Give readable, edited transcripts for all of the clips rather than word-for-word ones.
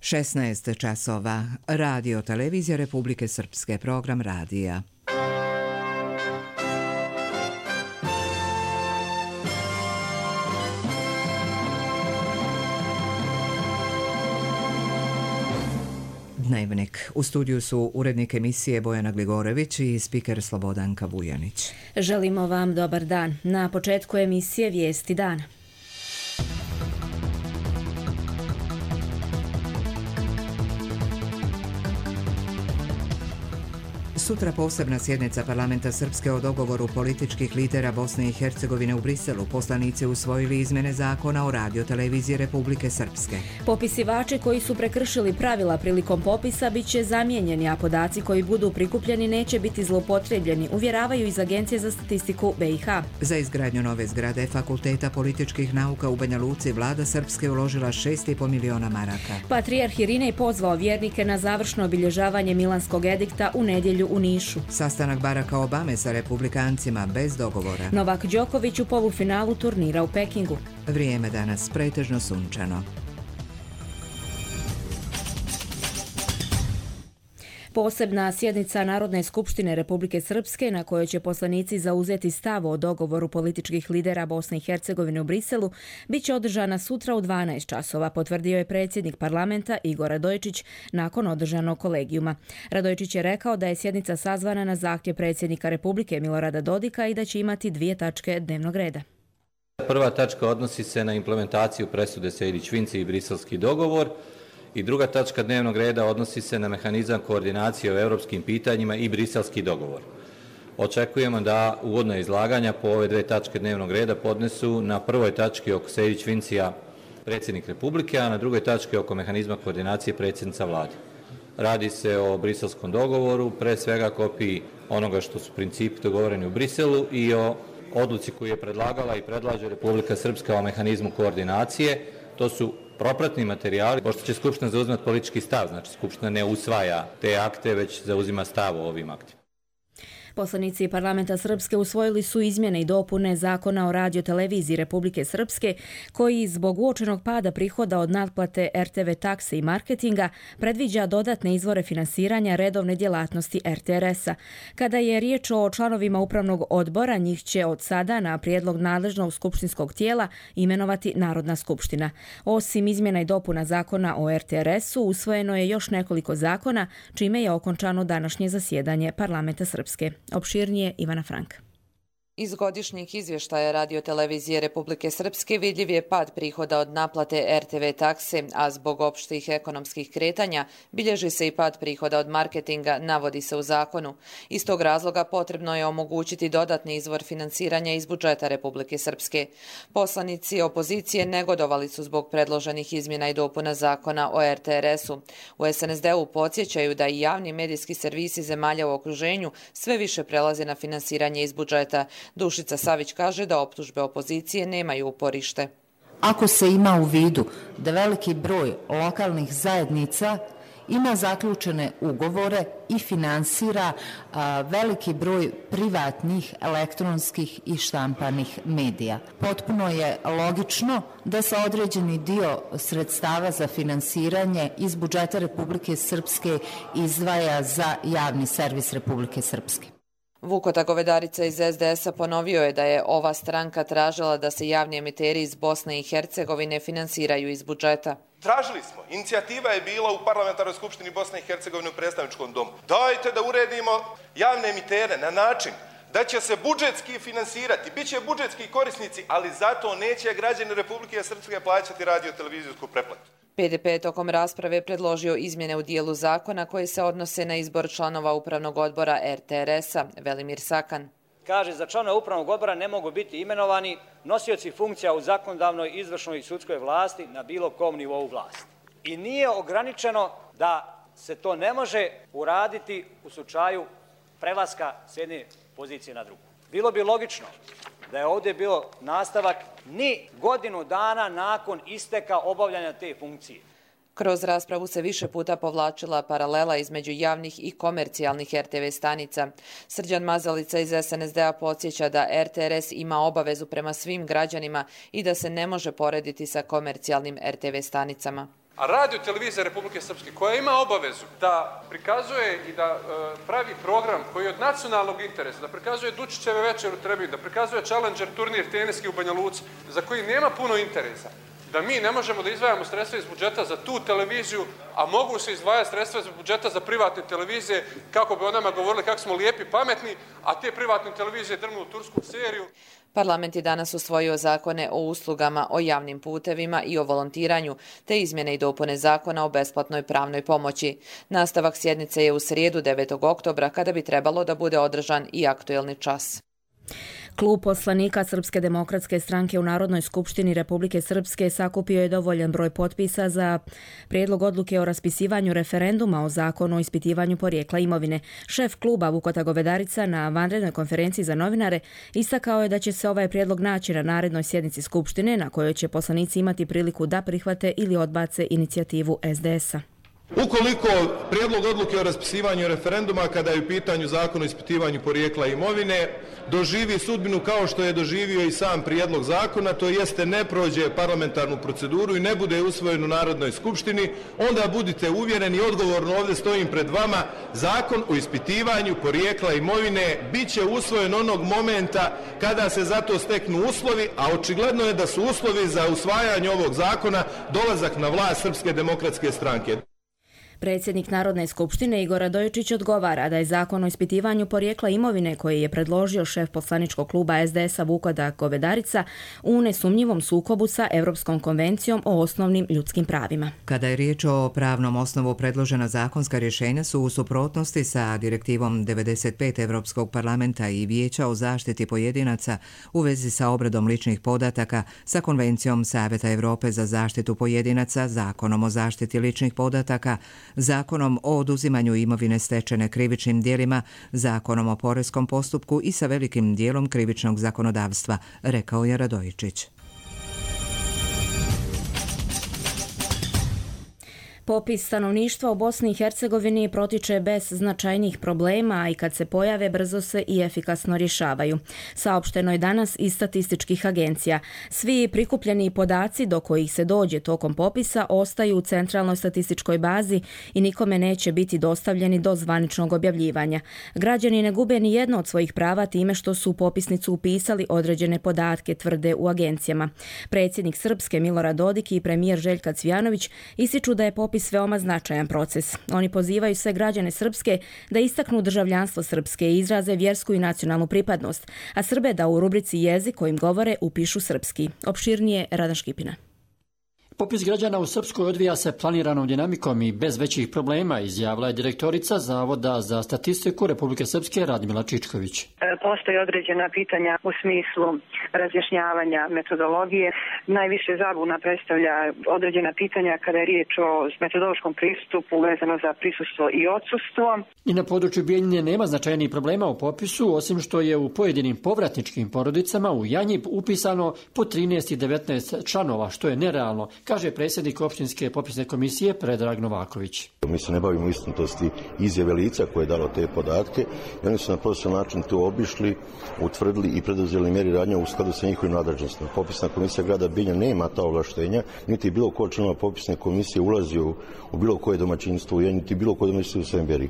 16 časova. Radio Televizija Republike Srpske, program radija. Dnevnik. U studiju su urednik emisije Bojana Gligorević i spiker Slobodanka Vujanić. Želimo vam dobar dan. Na početku emisije Vijesti dana. Sutra posebna sjednica parlamenta Srpske o dogovoru političkih lidera Bosne i Hercegovine u Briselu. Poslanici usvojili izmjene zakona o radioteleviziji Republike Srpske. Popisivači koji su prekršili pravila prilikom popisa bit će zamijenjeni, a podaci koji budu prikupljeni neće biti zloupotrijebljeni, uvjeravaju iz Agencije za statistiku BiH. Za izgradnju nove zgrade Fakulteta političkih nauka u Banja Luci vlada Srpske uložila 6,5 miliona maraka. Patrijarh Irinej pozvao vjernike na završno obilježavanje Milanskog edikta u nedjelju u Nišu. Sastanak Baracka Obame sa republikancima bez dogovora. Novak Đoković u polufinalu turnira u Pekingu. Vrijeme danas pretežno sunčano. Posebna sjednica Narodne skupštine Republike Srpske, na kojoj će poslanici zauzeti stav o dogovoru političkih lidera Bosne i Hercegovine u Briselu, bit će održana sutra u 12 časova, potvrdio je predsjednik parlamenta Igor Radojičić nakon održanog kolegijuma. Radojičić je rekao da je sjednica sazvana na zahtjev predsjednika Republike Milorada Dodika i da će imati 2 tačke dnevnog reda. Prva tačka odnosi se na implementaciju presude Sejdić-Finci i briselski dogovor. I druga tačka dnevnog reda odnosi se na mehanizam koordinacije o europskim pitanjima i briselski dogovor. Očekujemo da uvodna izlaganja po ove 2 tačke dnevnog reda podnesu na prvoj tački oko Sejdić-Fincija predsjednik Republike, a na drugoj tački oko mehanizma koordinacije predsjednica vlade. Radi se o briselskom dogovoru, pre svega kopiji onoga što su principi dogovoreni u Briselu i o odluci koju je predlagala i predlaže Republika Srpska o mehanizmu koordinacije. To su propratni materijali, pošto će Skupština zauzimati politički stav, znači Skupština ne usvaja te akte, već zauzima stav o ovim aktima. Poslanici parlamenta Srpske usvojili su izmjene i dopune zakona o radioteleviziji Republike Srpske, koji zbog uočenog pada prihoda od natplate RTV takse i marketinga predviđa dodatne izvore finansiranja redovne djelatnosti RTRS-a. Kada je riječ o članovima upravnog odbora, njih će od sada na prijedlog nadležnog skupštinskog tijela imenovati Narodna skupština. Osim izmjena i dopuna zakona o RTRS-u, usvojeno je još nekoliko zakona, čime je okončano današnje zasjedanje parlamenta Srpske. Opširnije Ivana Frank. Iz godišnjih izvještaja radiotelevizije Republike Srpske vidljiv je pad prihoda od naplate RTV takse, a zbog opštih ekonomskih kretanja bilježi se i pad prihoda od marketinga, navodi se u zakonu. Iz tog razloga potrebno je omogućiti dodatni izvor finansiranja iz budžeta Republike Srpske. Poslanici opozicije negodovali su zbog predloženih izmjena i dopuna zakona o RTRS-u. U SNSD-u podsjećaju da i javni medijski servisi zemalja u okruženju sve više prelaze na finansiranje iz budžeta. Dušica Savić kaže da optužbe opozicije nemaju uporište. Ako se ima u vidu da veliki broj lokalnih zajednica ima zaključene ugovore i finansira veliki broj privatnih, elektronskih i štampanih medija. Potpuno je logično da se određeni dio sredstava za finansiranje iz budžeta Republike Srpske izdvaja za javni servis Republike Srpske. Vukota Govedarica iz SDS-a ponovio je da je ova stranka tražila da se javni emiteri iz Bosne i Hercegovine finansiraju iz budžeta. Tražili smo, inicijativa je bila u Parlamentarnoj skupštini Bosne i Hercegovine u predstavničkom domu. Dajte da uredimo javne emitere na način da će se budžetski finansirati, bit će budžetski korisnici, ali zato neće građani Republike Srpske plaćati radiotelevizijsku pretplatu. PDP je tokom rasprave predložio izmjene u dijelu zakona koje se odnose na izbor članova upravnog odbora RTRS-a, Velimir Sakan. Kaže, za članove upravnog odbora ne mogu biti imenovani nosioci funkcija u zakonodavnoj, izvršnoj i sudskoj vlasti na bilo kom nivou vlasti. I nije ograničeno da se to ne može uraditi u slučaju prelaska s jedne pozicije na drugu. Bilo bi logično da je ovdje bilo nastavak ni godinu dana nakon isteka obavljanja te funkcije. Kroz raspravu se više puta povlačila paralela između javnih i komercijalnih RTV stanica. Srđan Mazalica iz SNSD-a podsjeća da RTRS ima obavezu prema svim građanima i da se ne može porediti sa komercijalnim RTV stanicama. A radio televizija Republike Srpske, koja ima obavezu da prikazuje i da pravi program koji je od nacionalnog interesa, da prikazuje Dučićeve večer u Trebinju, da prikazuje Challenger turnir teniski u Banja Luci, za koji nema puno interesa, da mi ne možemo da izdvajamo sredstva iz budžeta za tu televiziju, a mogu se izdvajati sredstva iz budžeta za privatne televizije, kako bi o nama govorili kako smo lijepi, pametni, a te privatne televizije drnu u tursku seriju. Parlament je danas usvojio zakone o uslugama, o javnim putevima i o volontiranju, te izmjene i dopune zakona o besplatnoj pravnoj pomoći. Nastavak sjednice je u srijedu 9. oktobra, kada bi trebalo da bude održan i aktuelni čas. Klub poslanika Srpske demokratske stranke u Narodnoj skupštini Republike Srpske sakupio je dovoljan broj potpisa za prijedlog odluke o raspisivanju referenduma o zakonu o ispitivanju porijekla imovine. Šef kluba Vukota Govedarica na vanrednoj konferenciji za novinare istakao je da će se ovaj prijedlog naći na narednoj sjednici Skupštine, na kojoj će poslanici imati priliku da prihvate ili odbace inicijativu SDS-a. Ukoliko prijedlog odluke o raspisivanju referenduma, kada je u pitanju zakon o ispitivanju porijekla imovine, doživi sudbinu kao što je doživio i sam prijedlog zakona, to jeste ne prođe parlamentarnu proceduru i ne bude usvojen u Narodnoj skupštini, onda budite uvjereni, odgovorno ovdje stojim pred vama, zakon o ispitivanju porijekla imovine bit će usvojen onog momenta kada se za to steknu uslovi, a očigledno je da su uslovi za usvajanje ovog zakona dolazak na vlast Srpske demokratske stranke. Predsjednik Narodne skupštine Igor Radojičić odgovara da je zakon o ispitivanju porijekla imovine koji je predložio šef poslaničkog kluba SDS-a Vukota Govedarica u nesumnjivom sukobu sa Europskom konvencijom o osnovnim ljudskim pravima. Kada je riječ o pravnom osnovu, predložena zakonska rješenja su u suprotnosti sa direktivom 95 Europskog parlamenta i Vijeća o zaštiti pojedinaca u vezi sa obradom ličnih podataka, sa Konvencijom Savjeta Europe za zaštitu pojedinaca, Zakonom o zaštiti ličnih podataka, Zakonom o oduzimanju imovine stečene krivičnim djelima, Zakonom o poreskom postupku i sa velikim dijelom krivičnog zakonodavstva, rekao je Radojičić. Popis stanovništva u Bosni i Hercegovini protiče bez značajnih problema i kad se pojave brzo se i efikasno rješavaju. Saopšteno je danas iz statističkih agencija. Svi prikupljeni podaci do kojih se dođe tokom popisa ostaju u centralnoj statističkoj bazi i nikome neće biti dostavljeni do zvaničnog objavljivanja. Građani ne gube ni jedno od svojih prava time što su u popisnicu upisali određene podatke, tvrde u agencijama. Predsjednik Srpske Milorad Dodik i premijer Željka Cvijanović ističu da je popis veoma značajan proces. Oni pozivaju sve građane Srpske da istaknu državljanstvo Srpske i izraze vjersku i nacionalnu pripadnost, a Srbe da u rubrici jezik kojim govore upišu srpski. Opširnije Radan Škipina. Popis građana u Srpskoj odvija se planiranom dinamikom i bez većih problema, izjavila je direktorica Zavoda za statistiku Republike Srpske Radmila Čičković. Postoje određena pitanja u smislu razjašnjavanja metodologije. Najviše zabuna predstavlja određena pitanja kada je riječ o metodološkom pristupu vezano za prisustvo i odsustvo. I na području Bijeljine nema značajnih problema u popisu, osim što je u pojedinim povratničkim porodicama u Janji upisano po 13 i 19 članova, što je nerealno, kaže predsjednik opštinske popisne komisije Predrag Novaković. Mi se ne bavimo istinitosti izjave lica koje je dalo te podatke i oni su na profesionalan način to obišli, utvrdili i preduzeli mjeri radnje u skladu sa njihovim nadležnostima. Popisna komisija grada Bijeljina nema ta ovlaštenja, niti bilo ko članova popisne komisije ulazio u bilo koje domaćinstvo u Janji, niti bilo koje domaćinstvo u Semberi.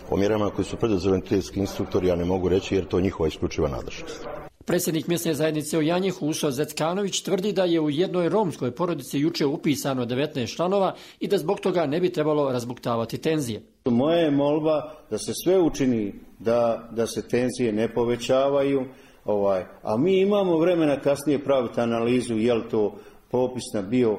O mjerama koje su preduzeli entitetski instruktori ja ne mogu reći jer to je njihova isključiva nadležnost. Predsjednik mjesne zajednice u Janji Huso Zeckanović tvrdi da je u jednoj romskoj porodici juče upisano 19 članova i da zbog toga ne bi trebalo razbuktavati tenzije. Moja je molba da se sve učini da se tenzije ne povećavaju, a mi imamo vremena kasnije praviti analizu je li to popisna bio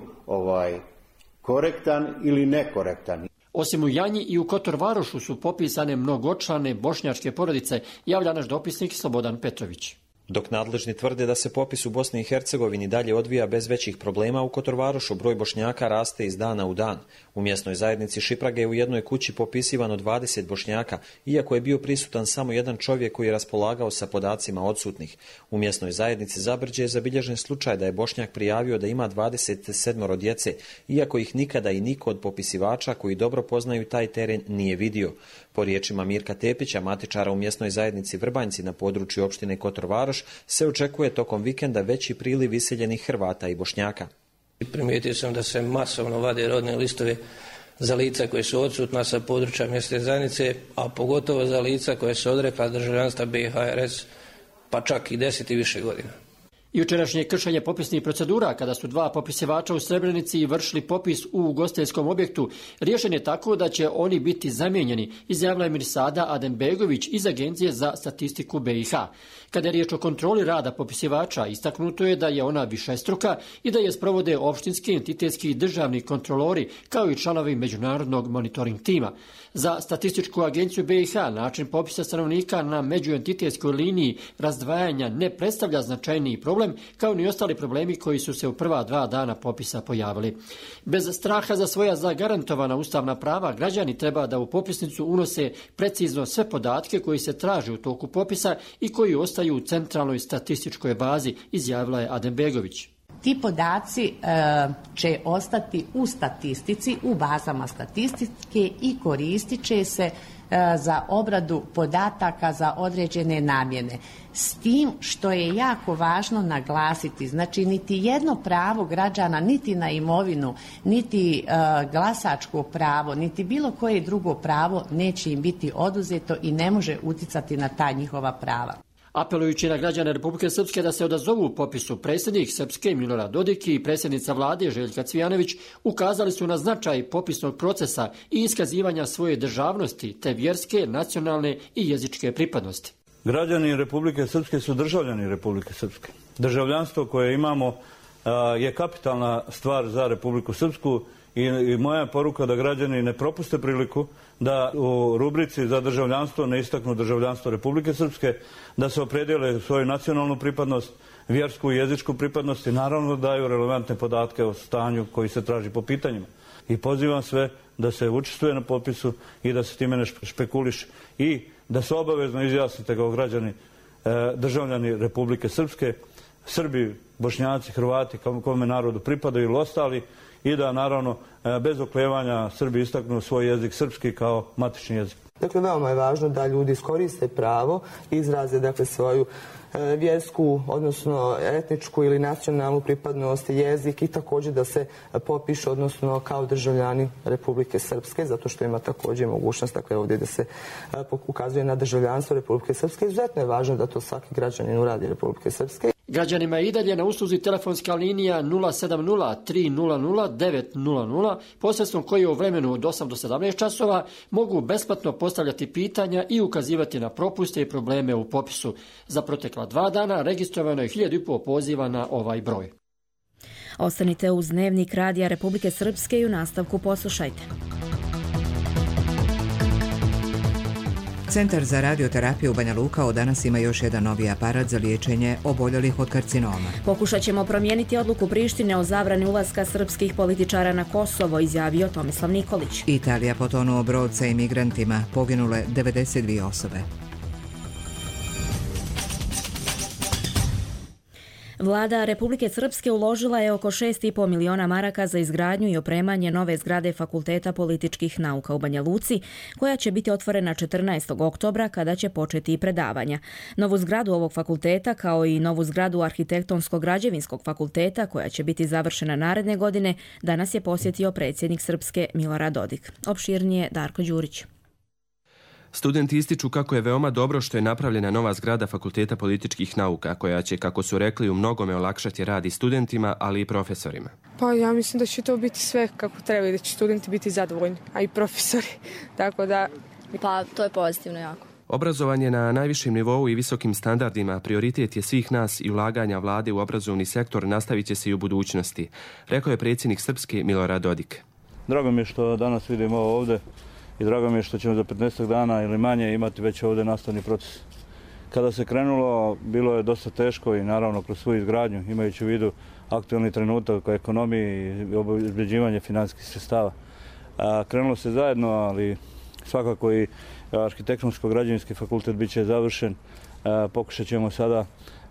korektan ili nekorektan. Osim u Janji i u Kotor-Varošu su popisane mnogočlane bošnjačke porodice, javlja naš dopisnik Slobodan Petrović. Dok nadležni tvrde da se popis u Bosni i Hercegovini dalje odvija bez većih problema, u Kotor-Varošu broj Bošnjaka raste iz dana u dan. U mjesnoj zajednici Šiprage je u jednoj kući popisivano 20 Bošnjaka, iako je bio prisutan samo jedan čovjek koji je raspolagao sa podacima odsutnih. U mjesnoj zajednici Zabrđe je zabilježen slučaj da je Bošnjak prijavio da ima 27 djece, iako ih nikada i niko od popisivača koji dobro poznaju taj teren nije vidio. Po riječima Mirka Tepića, matičara u mjesnoj zajednici Vrbanjci na području opštine Kotor-Varoš, se očekuje tokom vikenda veći priliv iseljenih Hrvata i Bošnjaka. Primijetio sam da se masovno vade rodne listove za lica koje su odsutna sa područja mjesne zajednice, a pogotovo za lica koje su odrekla državljanstva BiH-RS, pa čak i 10 i više godina. Jučerašnje kršenje popisnih procedura kada su dva popisivača u Srebrenici vršili popis u ugostiteljskom objektu riješen je tako da će oni biti zamijenjeni, izjavila je Mirsada Adembegović iz Agencije za statistiku BiH. Kada je riječ o kontroli rada popisivača, istaknuto je da je ona višestruka i da je sprovode opštinski, entitetski i državni kontrolori kao i članovi međunarodnog monitoring tima. Za statističku agenciju BiH način popisa stanovnika na međuentitetskoj liniji razdvajanja ne predstavlja značajniji problem, kao ni ostali problemi koji su se u prva 2 dana popisa pojavili. Bez straha za svoja zagarantovana ustavna prava, građani treba da u popisnicu unose precizno sve podatke koji se traže u toku popisa i koji ostaju u centralnoj statističkoj bazi, izjavila je Adembegović. Ti podaci će ostati u statistici, u bazama statistike i koristit će se za obradu podataka za određene namjene. S tim što je jako važno naglasiti, znači niti jedno pravo građana, niti na imovinu, niti glasačko pravo, niti bilo koje drugo pravo neće im biti oduzeto i ne može utjecati na ta njihova prava. Apelujući na građane Republike Srpske da se odazovu u popisu, predsjednik Srpske Milorad Dodik i predsjednica vlade Željka Cvijanović ukazali su na značaj popisnog procesa i iskazivanja svoje državnosti te vjerske, nacionalne i jezičke pripadnosti. Građani Republike Srpske su državljani Republike Srpske. Državljanstvo koje imamo je kapitalna stvar za Republiku Srpsku i moja poruka da građani ne propuste priliku da u rubrici za državljanstvo ne istaknu državljanstvo Republike Srpske, da se opredijele svoju nacionalnu pripadnost, vjersku i jezičku pripadnost i naravno daju relevantne podatke o stanju koji se traži po pitanjima. I pozivam sve da se učestvuje na popisu i da se time ne špekuliše i da se obavezno izjasnite kao građani, državljani Republike Srpske, Srbi, Bošnjaci, Hrvati, kome narodu pripadaju ili ostali, i da naravno bez oklevanja Srbi istaknu svoj jezik srpski kao matični jezik. Dakle, veoma je važno da ljudi iskoriste pravo, izraze dakle svoju vjersku, odnosno etničku ili nacionalnu pripadnost, jezik i također da se popišu, odnosno kao državljani Republike Srpske, zato što ima također mogućnost, dakle ovdje da se ukazuje na državljanstvo Republike Srpske. Izuzetno je važno da to svaki građanin uradi Republike Srpske. Građanima je i dalje na usluzi telefonska linija 070-300-900, posredstvom koje u vremenu od 8 do 17 časova mogu besplatno postavljati pitanja i ukazivati na propuste i probleme u popisu. Za protekla 2 dana registrovano je 1500 poziva na ovaj broj. Ostanite uz Dnevnik Radija Republike Srpske i u nastavku poslušajte. Centar za radioterapiju Banja Luka od danas ima još jedan novi aparat za liječenje oboljelih od karcinoma. Pokušat ćemo promijeniti odluku Prištine o zabrani ulaska srpskih političara na Kosovo, izjavio Tomislav Nikolić. Italija potonuo brod sa imigrantima, poginule 92 osobe. Vlada Republike Srpske uložila je oko 6,5 miliona maraka za izgradnju i opremanje nove zgrade Fakulteta političkih nauka u Banja Luci, koja će biti otvorena 14. oktobra kada će početi i predavanja. Novu zgradu ovog fakulteta, kao i novu zgradu Arhitektonsko-građevinskog fakulteta, koja će biti završena naredne godine, danas je posjetio predsjednik Srpske Milorad Dodik. Opširnije Darko Đurić. Studenti ističu kako je veoma dobro što je napravljena nova zgrada Fakulteta političkih nauka, koja će, kako su rekli, u mnogome olakšati rad i studentima, ali i profesorima. Pa ja mislim da će to biti sve kako treba i da će studenti biti zadovoljni, a i profesori. Tako da... Pa to je pozitivno jako. Obrazovanje na najvišem nivou i visokim standardima prioritet je svih nas i ulaganja vlade u obrazovni sektor nastavit će se i u budućnosti, rekao je predsjednik Srpske Milorad Dodik. Drago mi je što danas vidimo ovo ovdje i drago mi je što ćemo za 15 dana ili manje imati već ovdje nastavni proces. Kada se krenulo, bilo je dosta teško i naravno kroz svoju izgradnju, imajući u vidu aktualni trenutak o ekonomiji i obezbeđivanje financijskih sredstava. Krenulo se zajedno, ali svakako i Arhitektonsko-građevinski fakultet bit će završen. Pokušat ćemo sada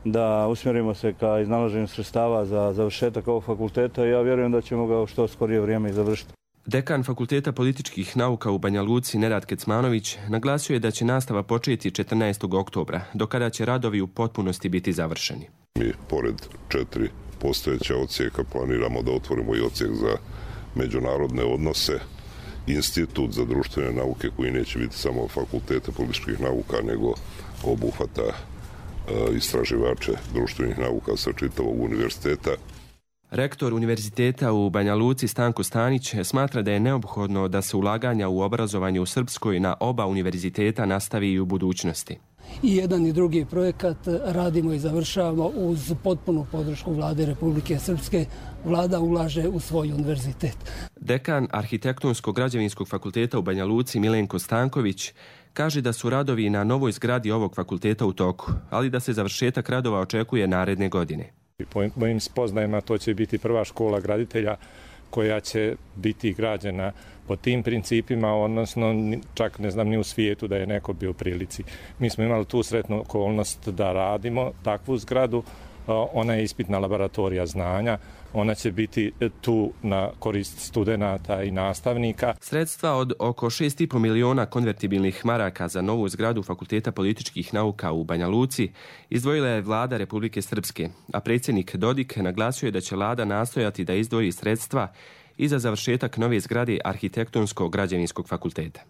da usmjerimo se ka iznalaženju sredstava za završetak ovog fakulteta i ja vjerujem da ćemo ga u što skorije vrijeme i završiti. Dekan Fakulteta političkih nauka u Banja Luci, Nenad Kecmanović, naglasio je da će nastava početi 14. oktobra, do kada će radovi u potpunosti biti završeni. Mi, pored 4 postojeća odsjeka planiramo da otvorimo i odsjek za međunarodne odnose, institut za društvene nauke koji neće biti samo fakulteta političkih nauka, nego obuhvata istraživače društvenih nauka sa čitavog univerziteta. Rektor Univerziteta u Banja Luci Stanko Stanić smatra da je neophodno da se ulaganja u obrazovanje u Srpskoj na oba univerziteta nastavi i u budućnosti. I jedan i drugi projekat radimo i završavamo uz potpunu podršku Vlade Republike Srpske. Vlada ulaže u svoj univerzitet. Dekan Arhitektonsko-građevinskog fakulteta u Banja Luci Milenko Stanković kaže da su radovi na novoj zgradi ovog fakulteta u toku, ali da se završetak radova očekuje naredne godine. Po mojim spoznajama to će biti prva škola graditelja koja će biti građena po tim principima, odnosno čak ne znam ni u svijetu da je neko bio u prilici. Mi smo imali tu sretnu okolnost da radimo takvu zgradu, ona je ispitna laboratorija znanja, ona će biti tu na korist studenata i nastavnika. Sredstva od oko 6,5 miliona konvertibilnih maraka za novu zgradu Fakulteta političkih nauka u Banja Luci izdvojila je Vlada Republike Srpske, a predsjednik Dodik naglasio je da će Vlada nastojati da izdvoji sredstva i za završetak nove zgrade Arhitektonsko-građevinskog fakulteta.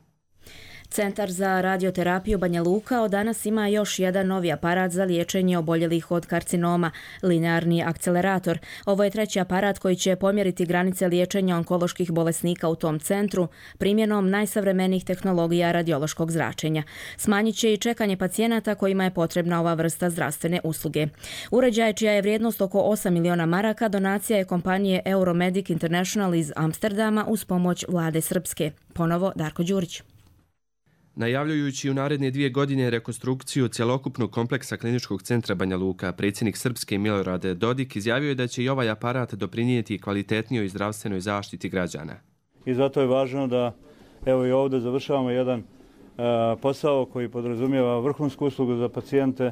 Centar za radioterapiju Banja Luka od danas ima još jedan novi aparat za liječenje oboljelih od karcinoma, linearni akcelerator. Ovo je treći aparat koji će pomjeriti granice liječenja onkoloških bolesnika u tom centru primjenom najsavremenijih tehnologija radiološkog zračenja. Smanjit će i čekanje pacijenata kojima je potrebna ova vrsta zdravstvene usluge. Uređaj, čija je vrijednost oko 8 miliona maraka, donacija je kompanije Euromedic International iz Amsterdama uz pomoć Vlade Srpske. Ponovo Darko Đurić. Najavljujući u naredne 2 godine rekonstrukciju cjelokupnog kompleksa kliničkog centra Banja Luka, predsjednik Srpske Milorad Dodik izjavio je da će i ovaj aparat doprinijeti kvalitetnijoj zdravstvenoj zaštiti građana. I zato je važno da evo i ovdje završavamo jedan posao koji podrazumijeva vrhunsku uslugu za pacijente,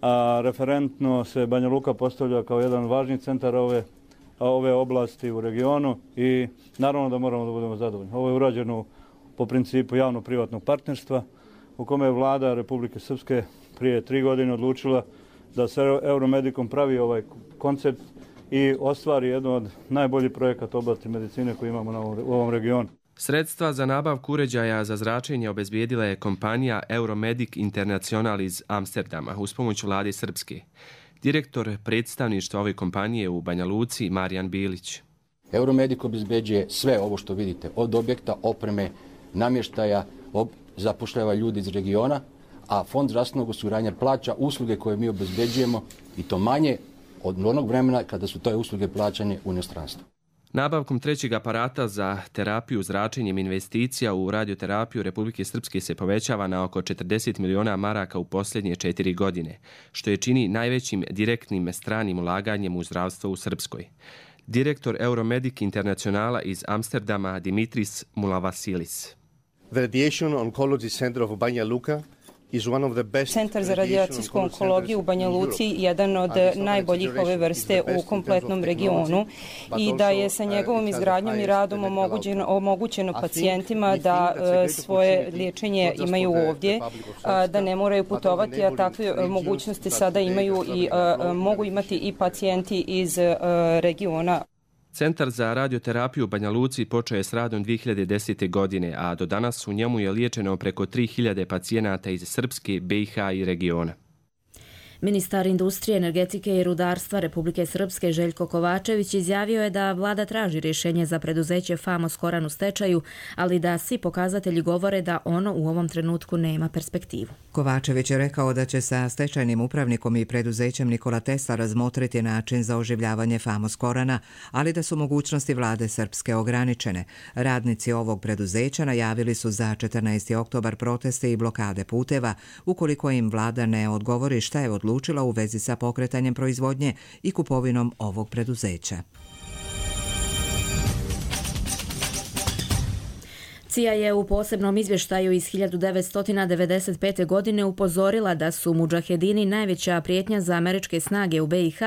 a referentno se Banja Luka postavlja kao jedan važni centar ove oblasti u regionu i naravno da moramo da budemo zadovoljni. Ovo je urađeno po principu javno-privatnog partnerstva u kome je Vlada Republike Srpske prije 3 godine odlučila da se Euromedicom pravi ovaj koncept i ostvari jedno od najboljih projekata oblasti medicine koje imamo u ovom regionu. Sredstva za nabavku uređaja za zračenje obezbijedila je kompanija Euromedic International iz Amsterdama uz pomoć Vlade Srpske. Direktor predstavništva ove kompanije u Banja Luci Marijan Bilić. Euromedic obezbeđuje sve ovo što vidite, od objekta, opreme, namještaja, zapošljava ljudi iz regiona, a Fond zdravstvenog osiguranja plaća usluge koje mi obezbeđujemo i to manje od onog vremena kada su te usluge plaćane u inostranstvu. Nabavkom trećeg aparata za terapiju zračenjem investicija u radioterapiju Republike Srpske se povećava na oko 40 miliona maraka u posljednje 4 godine, što je čini najvećim direktnim stranim ulaganjem u zdravstvo u Srpskoj. Direktor Euromedic Internacionala iz Amsterdama Dimitris Mulavasilis. The Radiation Oncology Center of Banja Luka is one of the best. Centar za radijacijsku onkologiju u Banja Luci jedan od najboljih ove vrste u kompletnom regionu i da je sa njegovom izgradnjom i radom omogućeno pacijentima da svoje liječenje imaju ovdje, da ne moraju putovati, a takve mogućnosti sada imaju i mogu imati i pacijenti iz regiona. Centar za radioterapiju u Banja Luci počeo je s radom 2010. godine, a do danas u njemu je liječeno preko 3000 pacijenata iz Srpske, BiH i regiona. Ministar industrije, energetike i rudarstva Republike Srpske Željko Kovačević izjavio je da vlada traži rješenje za preduzeće Famos Koran u stečaju, ali da svi pokazatelji govore da ono u ovom trenutku nema perspektivu. Kovačević je rekao da će sa stečajnim upravnikom i preduzećem Nikola Tesla razmotriti način za oživljavanje Famos Korana, ali da su mogućnosti vlade Srpske ograničene. Radnici ovog preduzeća najavili su za 14. oktobar proteste i blokade puteva, ukoliko im vlada ne odgovori šta je odlučila u vezi sa pokretanjem proizvodnje i kupovinom ovog preduzeća. CIA je u posebnom izvještaju iz 1995. godine upozorila da su mudžahedini najveća prijetnja za američke snage u BiH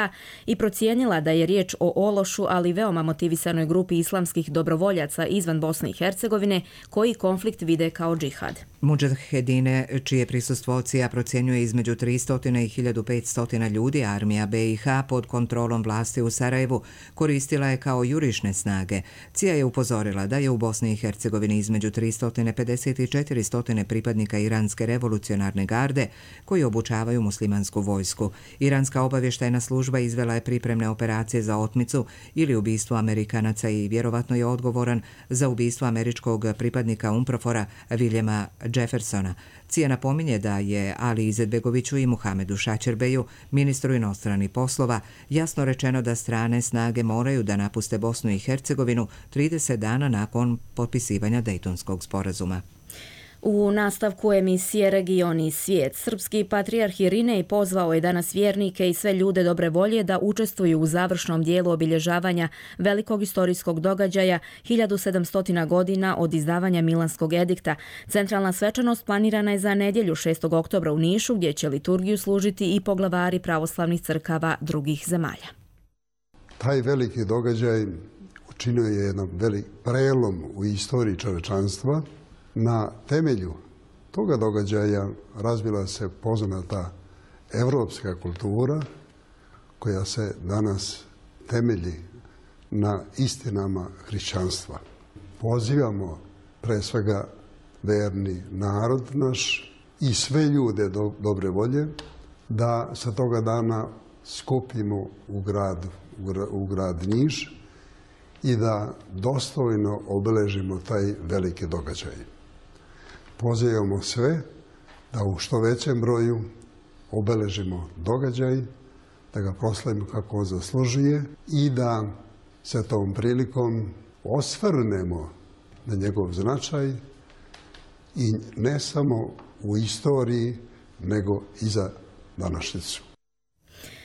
i procijenila da je riječ o ološu, ali veoma motivisanoj grupi islamskih dobrovoljaca izvan Bosne i Hercegovine koji konflikt vide kao džihad. Mudžahedine, čije prisustvo CIA procjenjuje između 300 i 1500 ljudi, armija BiH pod kontrolom vlasti u Sarajevu koristila je kao jurišne snage. CIA je upozorila da je u Bosni i Hercegovini između 350 i 400 pripadnika Iranske revolucionarne garde koji obučavaju muslimansku vojsku. Iranska obavještajna služba izvela je pripremne operacije za otmicu ili ubistvo Amerikanaca i vjerovatno je odgovoran za ubistvo američkog pripadnika UNPROFOR-a Viljema Jeffersona. CIA napominje da je Ali Izetbegoviću i Muhamedu Šaćerbeju, ministru inostranih poslova, jasno rečeno da strane snage moraju da napuste Bosnu i Hercegovinu 30 dana nakon potpisivanja Dejtonskog sporazuma. U nastavku emisije Region i svijet, srpski patrijarh Irinej pozvao je danas vjernike i sve ljude dobre volje da učestvuju u završnom dijelu obilježavanja velikog istorijskog događaja 1700 godina od izdavanja Milanskog edikta. Centralna svečanost planirana je za nedjelju 6. oktobra u Nišu, gdje će liturgiju služiti i poglavari pravoslavnih crkava drugih zemalja. Taj veliki događaj učinio je jedan velik prelom u istoriji čovečanstva. Na temelju toga događaja razvila se poznata evropska kultura koja se danas temelji na istinama hrišćanstva. Pozivamo pre svega verni narod naš i sve ljude dobre volje da sa toga dana skupimo u grad Niš i da dostojno obeležimo taj veliki događaj. Pozivamo sve da u što većem broju obeležimo događaj, da ga proslavimo kako on zaslužuje i da se tom prilikom osvrnemo na njegov značaj i ne samo u istoriji, nego i za današnjicu.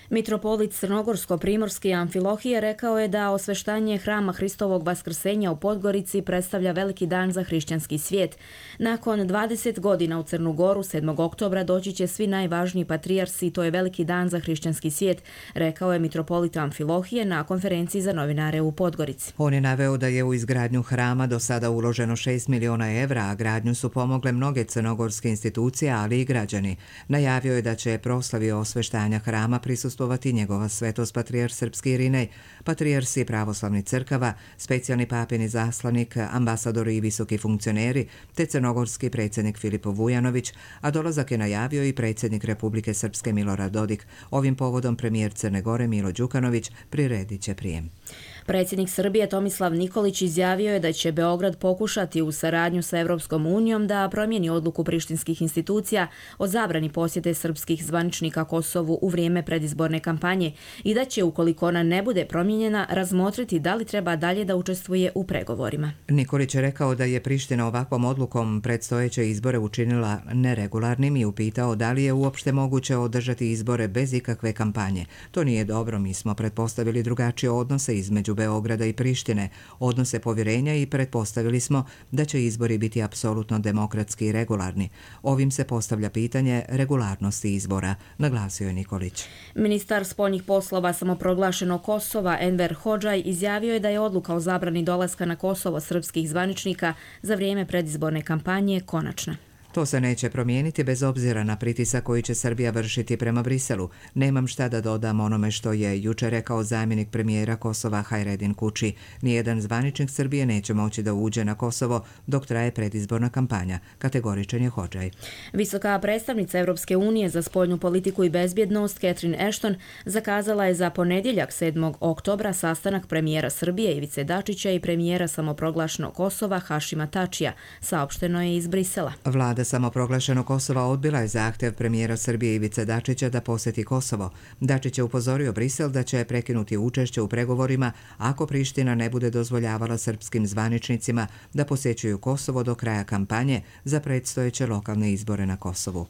Mitropolit Crnogorsko-primorski Amfilohije rekao je da osveštanje hrama Hristovog vaskrsenja u Podgorici predstavlja veliki dan za hrišćanski svijet. Nakon 20 godina u Crnu Goru 7. oktobra doći će svi najvažniji patrijarsi i to je veliki dan za hrišćanski svijet, rekao je mitropolit Amfilohije na konferenciji za novinare u Podgorici. On je naveo da je u izgradnju hrama do sada uloženo 6 miliona evra, a gradnju su pomogle mnoge crnogorske institucije, ali i građani. Najavio je da će proslavi osveštanja hrama prisustvovati njegova svetost patrijarh srpski Irinej, patrijarsi pravoslavnih crkava, specijalni papin izaslanik, ambasadori i visoki funkcioneri, te crnogorski predsjednik Filipo Vujanović, a dolazak je najavio i predsjednik Republike Srpske Milorad Dodik. Ovim povodom premijer Crne Gore Milo Đukanović priredit će prijem. Predsjednik Srbije Tomislav Nikolić izjavio je da će Beograd pokušati u saradnju sa Europskom unijom da promijeni odluku prištinskih institucija o zabrani posjete srpskih zvaničnika Kosovu u vrijeme predizborne kampanje i da će, ukoliko ona ne bude promijenjena, razmotriti da li treba dalje da učestvuje u pregovorima. Nikolić je rekao da je Priština ovakvom odlukom predstojeće izbore učinila neregularnim i upitao da li je uopšte moguće održati izbore bez ikakve kampanje. To nije dobro, mi smo pretpostavili drugačije odnose između Beograda i Prištine, odnose povjerenja i pretpostavili smo da će izbori biti apsolutno demokratski i regularni. Ovim se postavlja pitanje regularnosti izbora, naglasio je Nikolić. Ministar spoljnih poslova samoproglašenog Kosova Enver Hodžaj izjavio je da je odluka o zabrani dolaska na Kosovo srpskih zvaničnika za vrijeme predizborne kampanje konačna. To se neće promijeniti bez obzira na pritisak koji će Srbija vršiti prema Briselu. Nemam šta da dodam onome što je jučer rekao zamjenik premijera Kosova Hajredin Kuči. Nijedan zvaničnik Srbije neće moći da uđe na Kosovo dok traje predizborna kampanja, kategoričan je Hodžaj. Visoka predstavnica Europske unije za spoljnu politiku i bezbjednost Catherine Ashton zakazala je za ponedjeljak 7. oktobra sastanak premijera Srbije Ivice Dačića i premijera samoproglašenog Kosova Hašima Tačija, saopšteno je iz Brisela. Vlada samoproglašenog Kosova odbila je zahtjev premijera Srbije Ivice Dačića da posjeti Kosovo. Dačić je upozorio Brisel da će prekinuti učešće u pregovorima ako Priština ne bude dozvoljavala srpskim zvaničnicima da posjećuju Kosovo do kraja kampanje za predstojeće lokalne izbore na Kosovu.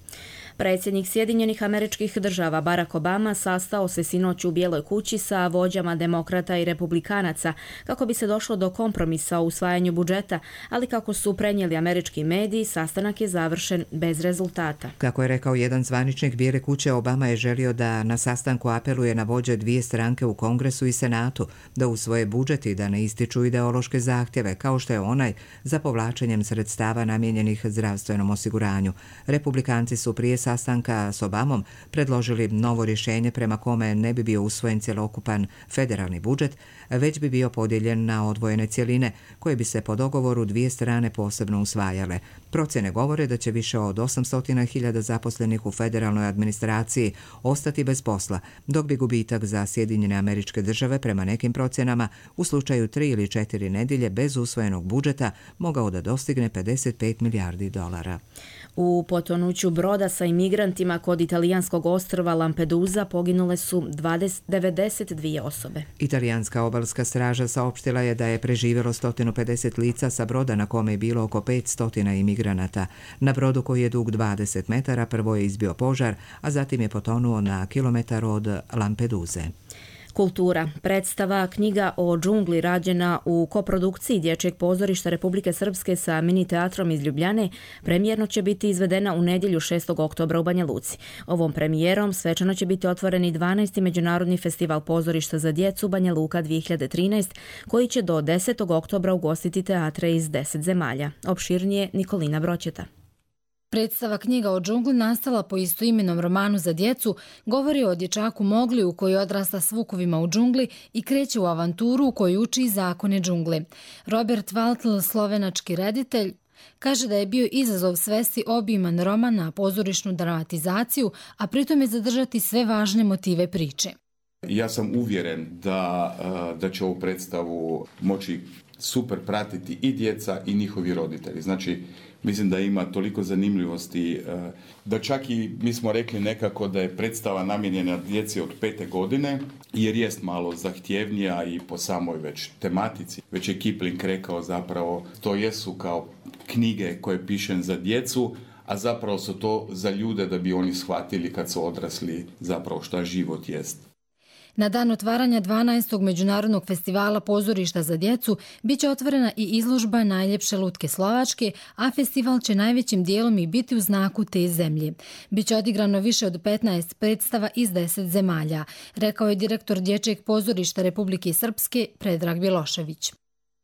Predsjednik Sjedinjenih Američkih Država Barack Obama sastao se sinoć u Bijeloj kući sa vođama demokrata i republikanaca kako bi se došlo do kompromisa o usvajanju budžeta, ali kako su prenijeli američki mediji, sastanak je završen bez rezultata. Kako je rekao jedan zvaničnik Bijele kuće, Obama je želio da na sastanku apeluje na vođe dvije stranke u Kongresu i Senatu da usvoje budžet i da ne ističu ideološke zahtjeve, kao što je onaj za povlačenjem sredstava namijenjenih zdravstvenom osiguranju. Republikanci su prije sastanka s Obamom predložili novo rješenje prema kome ne bi bio usvojen cjelokupan federalni budžet, već bi bio podijeljen na odvojene cjeline koje bi se po dogovoru dvije strane posebno usvajale. Procjene govore da će više od 800.000 zaposlenih u federalnoj administraciji ostati bez posla, dok bi gubitak za Sjedinjene Američke Države prema nekim procjenama u slučaju 3 ili 4 nedjelje bez usvojenog budžeta mogao da dostigne $55 milijardi. U potonuću broda sa imigrantima kod italijanskog ostrva Lampedusa poginule su 92 osobe. Italijanska obalska straža saopštila je da je preživjelo 150 lica sa broda na kome je bilo oko 500 imigranata. Na brodu koji je dug 20 metara prvo je izbio požar, a zatim je potonuo na kilometar od Lampeduze. Kultura. Predstava Knjiga o džungli rađena u koprodukciji Dječjeg pozorišta Republike Srpske sa mini teatrom iz Ljubljane premijerno će biti izvedena u nedjelju 6. oktobra u Banja Luci. Ovom premijerom svečano će biti otvoreni 12. Međunarodni festival pozorišta za djecu Banja Luka 2013, koji će do 10. oktobra ugostiti teatre iz 10 zemalja. Opširnije Nikolina Broćeta. Predstava Knjiga o džungli, nastala po istoimenom romanu za djecu, govori o dječaku Mogliju koji odrasta s vukovima u džungli i kreće u avanturu u kojoj uči zakone džungle. Robert Waltl, slovenački reditelj, kaže da je bio izazov svesti obiman roman na pozorišnu dramatizaciju, a pritom je zadržati sve važne motive priče. Ja sam uvjeren da će ovu predstavu moći super pratiti i djeca i njihovi roditelji. Znači, mislim da ima toliko zanimljivosti da čak i mi smo rekli nekako da je predstava namijenjena djeci od 5. godine, jer jest malo zahtjevnija i po samoj već tematici. Već je Kipling rekao zapravo to jesu kao knjige koje pišem za djecu, a zapravo su to za ljude da bi oni shvatili kad su odrasli zapravo šta život jest. Na dan otvaranja 12. Međunarodnog festivala pozorišta za djecu biće otvorena i izložba Najljepše lutke Slovačke, a festival će najvećim dijelom i biti u znaku te zemlje. Biće odigrano više od 15 predstava iz 10 zemalja, rekao je direktor Dječjeg pozorišta Republike Srpske Predrag Bjelošević.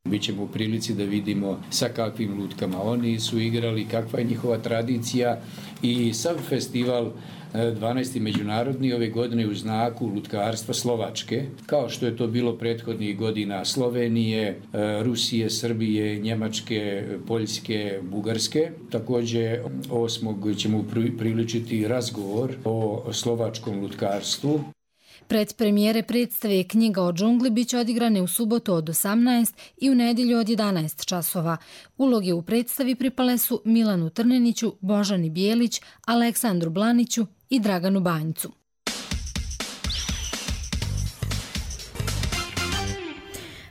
Bićemo u prilici da vidimo sa kakvim lutkama oni su igrali, kakva je njihova tradicija i sav festival 12. međunarodni ove godine u znaku lutkarstva Slovačke, kao što je to bilo prethodnih godina Slovenije, Rusije, Srbije, Njemačke, Poljske, Bugarske. Također 8. ćemo priličiti razgovor o slovačkom lutkarstvu. Predpremijere predstave Knjiga o džungli biće odigrane u subotu od 18 i u nedjelju od 11 časova. Uloge u predstavi pripale su Milanu Trneniću, Božani Bijelić, Aleksandru Blaniću i Draganu Banjcu.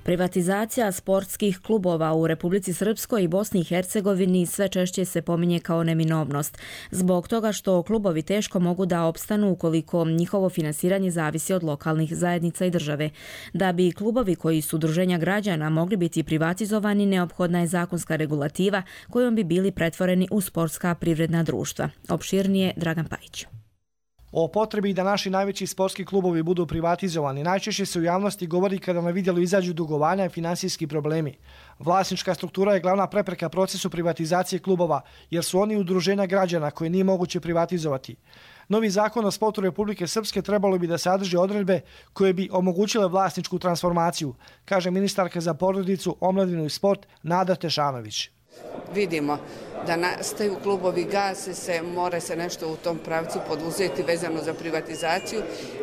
Privatizacija sportskih klubova u Republici Srpskoj i Bosni i Hercegovini sve češće se pominje kao neminovnost, zbog toga što klubovi teško mogu da opstanu ukoliko njihovo finansiranje zavisi od lokalnih zajednica i države. Da bi klubovi koji su udruženja građana mogli biti privatizovani, neophodna je zakonska regulativa kojom bi bili pretvoreni u sportska privredna društva. Opširnije Dragan Pajić. O potrebi da naši najveći sportski klubovi budu privatizovani najčešće se u javnosti govori kada na vidjelu izađu dugovanja i finansijski problemi. Vlasnička struktura je glavna prepreka procesu privatizacije klubova, jer su oni udruženja građana koje nije moguće privatizovati. Novi zakon o sportu Republike Srpske trebalo bi da sadrži odredbe koje bi omogućile vlasničku transformaciju, kaže ministarka za porodicu, omladinu i sport Nada Tešanović. Vidimo da nastaju klubovi, gase se, mora se nešto u tom pravcu poduzeti vezano za privatizaciju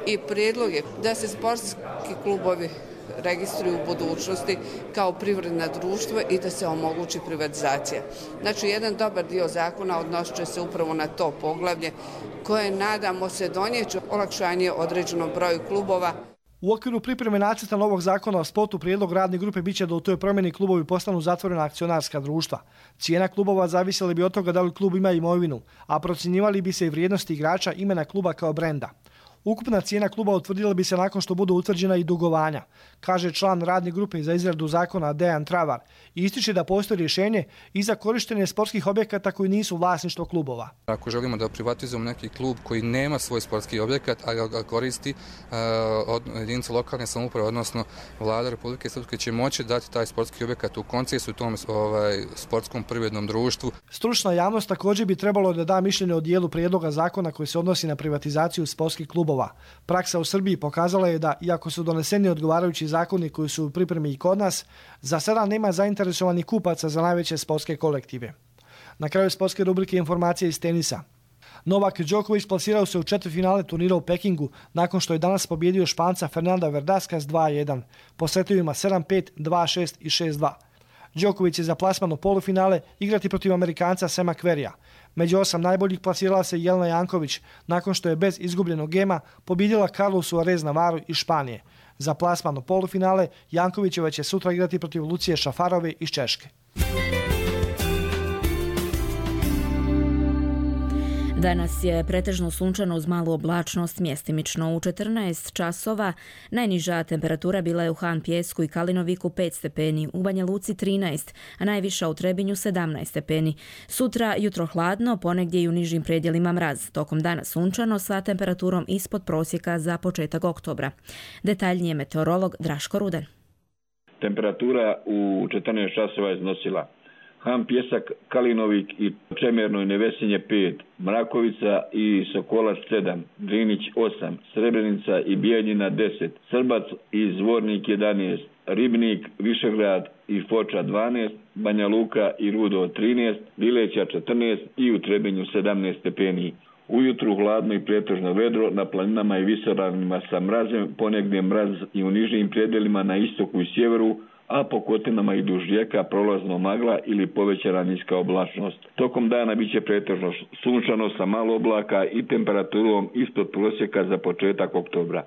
i prijedlog je da se sportski klubovi registruju u budućnosti kao privredna društva i da se omogući privatizacija. Znači, jedan dobar dio zakona odnosit će se upravo na to poglavlje koje, nadamo se, donijeće olakšanje određenom broju klubova. U okviru pripreme nacrta novog zakona o sportu prijedlog radne grupe biće da u toj promjeni klubovi postanu zatvorena akcionarska društva. Cijena klubova zavisila bi od toga da li klub ima imovinu, a procjenjivali bi se i vrijednosti igrača, imena kluba kao brenda. Ukupna cijena kluba utvrdila bi se nakon što budu utvrđena i dugovanja, kaže član radne grupe za izradu zakona Dejan Travar i ističe da postoji rješenje i za korištenje sportskih objekata koji nisu vlasništvo klubova. Ako želimo da privatizujemo neki klub koji nema svoj sportski objekat, a ga koristi od jedinice lokalne samouprave, odnosno vlada Republike Srpske će moći dati taj sportski objekat u koncesiju tom sportskom privrednom društvu. Stručna javnost također bi trebalo da da mišljenje o dijelu prijedloga zakona koji se odnosi na privatizaciju sportskih klubova. Praksa u Srbiji pokazala je da, iako su doneseni odgovarajući zakoni koji su u pripremi i kod nas, za sada nema zainteresovanih kupaca za najveće sportske kolektive. Na kraju sportske rubrike informacije iz tenisa. Novak Đoković plasirao se u četvrtfinale turnira u Pekingu nakon što je danas pobjedio Španca Fernanda Verdasca s 2-1, po setovima 7-5, 2-6 i 6-2. Đoković je za plasman u polufinale igrati protiv Amerikanca Sema Querrya. Među 8 najboljih plasirala se Jelena Janković nakon što je bez izgubljenog gema pobjedila Carlosu Arez Navaru iz Španije. Za plasman u polufinale Jankovićeva će sutra igrati protiv Lucije Šafarove iz Češke. Danas je pretežno sunčano uz malu oblačnost, mjestimično u 14 časova. Najniža temperatura bila je u Han Pjesku i Kalinoviku 5 stepeni, u Banja Luci 13, a najviša u Trebinju 17 stepeni. Sutra jutro hladno, ponegdje i u nižim predjelima mraz. Tokom dana sunčano sa temperaturom ispod prosjeka za početak oktobra. Detaljnije meteorolog Draško Ruden. Temperatura u 14 časova iznosila Han Pjesak, Kalinovik i Čemerno i Nevesinje 5, Mrakovica i Sokolac 7, Drinić 8, Srebrenica i Bijeljina 10, Srbac i Zvornik 11, Ribnik, Višegrad i Foča 12, Banja Luka i Rudo 13, Bileća 14 i u Trebinju 17 stepeni. Ujutru hladno i pretežno vedro, na planinama i visoravnima sa mrazem, ponegdje mraz i u nižim predjelima na istoku i sjeveru, a po kotinama i duž rijeka prolazno magla ili povećana niska oblačnost. Tokom dana bit će pretežno sunčano sa malo oblaka i temperaturom ispod prosjeka za početak oktobra.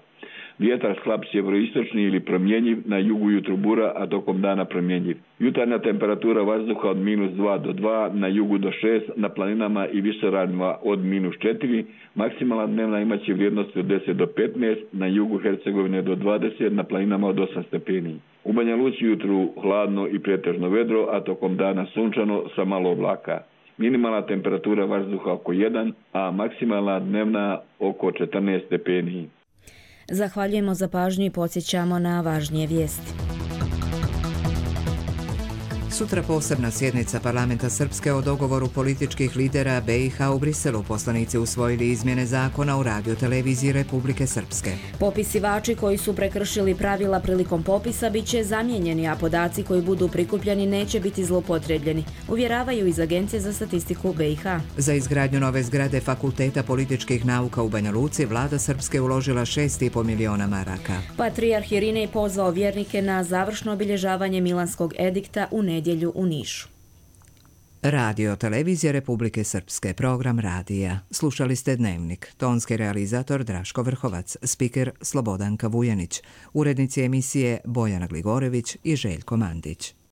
Vjetar slab sjeveroistočni ili promjenjiv, na jugu jutru bura, a tokom dana promjenjiv. Jutarnja temperatura vazduha od -2 do 2, na jugu do 6, na planinama i visoravnima od -4, maksimalna dnevna imaće vrijednosti od 10 do 15, na jugu Hercegovine do 20, na planinama od 8 stepeni. U Banja Luci jutru hladno i pretežno vedro, a tokom dana sunčano sa malo oblaka. Minimalna temperatura vazduha oko 1, a maksimalna dnevna oko 14 stepeni. Zahvaljujemo za pažnju i podsjećamo na važnije vijesti. Sutra posebna sjednica Parlamenta Srpske o dogovoru političkih lidera BiH u Briselu. Poslanici usvojili izmjene zakona o radioteleviziji Republike Srpske. Popisivači koji su prekršili pravila prilikom popisa bit će zamijenjeni, a podaci koji budu prikupljeni neće biti zloupotrebljeni, uvjeravaju iz Agencije za statistiku BiH. Za izgradnju nove zgrade Fakulteta političkih nauka u Banja Luci vlada Srpske uložila 6,5 miliona maraka. Patrijarh Irinej pozvao vjernike na završno obilježavanje Milanskog edikta u nedjelju u Nišu. Radio televizija Republike Srpske, program radija. Slušali ste Dnevnik. Tonski realizator Draško Vrhovac, spiker Slobodanka Vujanić, urednici emisije Bojana Gligorević i Željko Mandić.